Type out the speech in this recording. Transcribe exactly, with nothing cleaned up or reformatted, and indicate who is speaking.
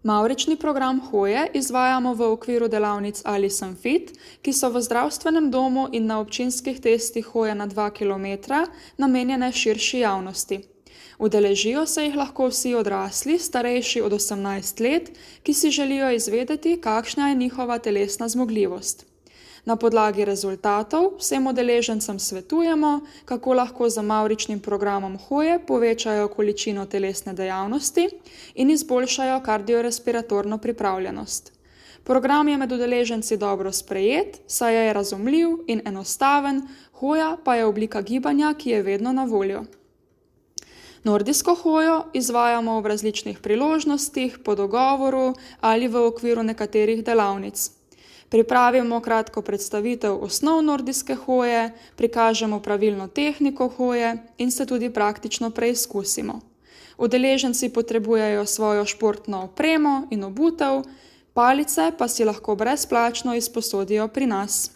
Speaker 1: Mavrični program hoje izvajamo v okviru delavnic Alice and Fit, ki so v zdravstvenem domu in na občinskih testih hoje na dva kilometra namenjene širši javnosti. Udeležijo se jih lahko vsi odrasli, starejši od osemnajst let, ki si želijo izvedeti, kakšna je njihova telesna zmogljivost. Na podlagi rezultatov vsem udeležencem svetujemo, kako lahko z mavričnim programom hoje povečajo količino telesne dejavnosti in izboljšajo kardiorespiratorno pripravljenost. Program je med udeleženci dobro sprejet, saj je razumljiv in enostaven, hoja pa je oblika gibanja, ki je vedno na voljo. Nordijsko hojo izvajamo v različnih priložnostih, po dogovoru ali v okviru nekaterih delavnic. Pripravimo kratko predstavitev osnov nordijske hoje, prikažemo pravilno tehniko hoje in se tudi praktično preizkusimo. Udeleženci potrebujejo svojo športno opremo in obutev, palice pa si lahko brezplačno izposodijo pri nas.